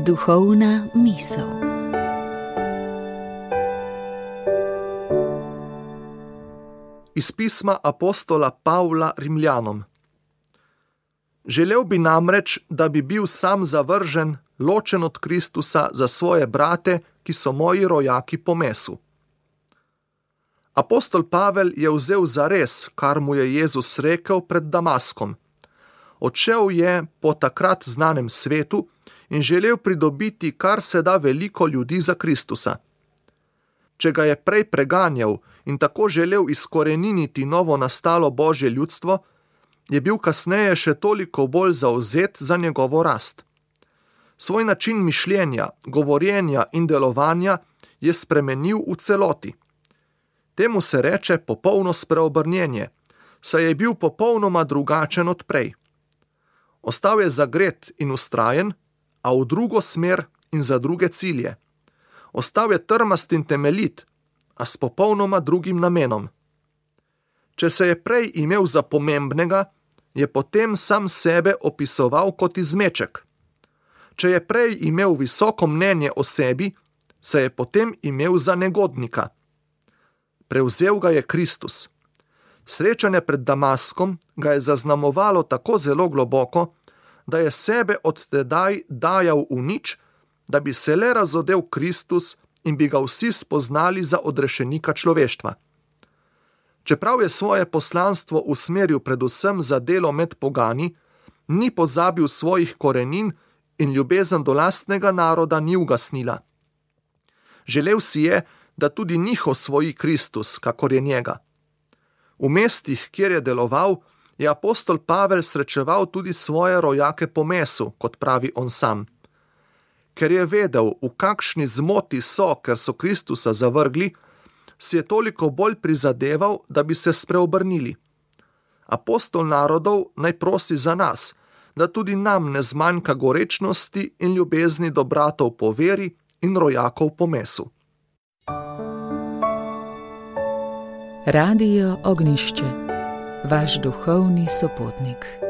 Duhovna misel. Iz pisma apostola Pavla Rimljanom. Želel bi namreč, da bi bil sam zavržen, ločen od Kristusa za svoje brate, ki so moji rojaki po mesu. Apostol Pavel je vzel zares, kar mu je Jezus rekel pred Damaskom. Odšel je po takrat znanem svetu in želel pridobiti kar se da veliko ljudi za Kristusa. Če ga je prej preganjal in tako želel izkoreniniti novo nastalo Božje ljudstvo, je bil kasneje še toliko bolj zavzet za njegovo rast. Svoj način mišljenja, govorjenja in delovanja je spremenil v celoti. Temu se reče popolno spreobrnjenje, saj je bil popolnoma drugačen od prej. Ostal je zagret in vztrajen, a v drugo smer in za druge cilje. Ostal je trmast in temeljit, a s popolnoma drugim namenom. Če se je prej imel za pomembnega, je potem sam sebe opisoval kot izmeček. Če je prej imel visoko mnenje o sebi, se je potem imel za negodnika. Prevzel ga je Kristus. Srečanje pred Damaskom ga je zaznamovalo tako zelo globoko, da je sebe od tedaj dajal v nič, da bi se le razodel Kristus in bi ga vsi spoznali za odrešenika človeštva. Čeprav je svoje poslanstvo usmeril predvsem za delo med pogani, ni pozabil svojih korenin in ljubezen do lastnega naroda ni ugasnila. Želel si je, da tudi njih osvoji Kristus, kakor je njega. V mestih, kjer je deloval, je apostol Pavel srečeval tudi svoje rojake po mesu, kot pravi on sam. Ker je vedel, v kakšni zmoti so, ker so Kristusa zavrgli, si je toliko bolj prizadeval, da bi se spreobrnili. Apostol narodov naj prosi za nas, da tudi nam ne zmanjka gorečnosti in ljubezni do bratov po veri in rojakov po mesu. Radio Ognjišče, vaš duhovni sopotnik.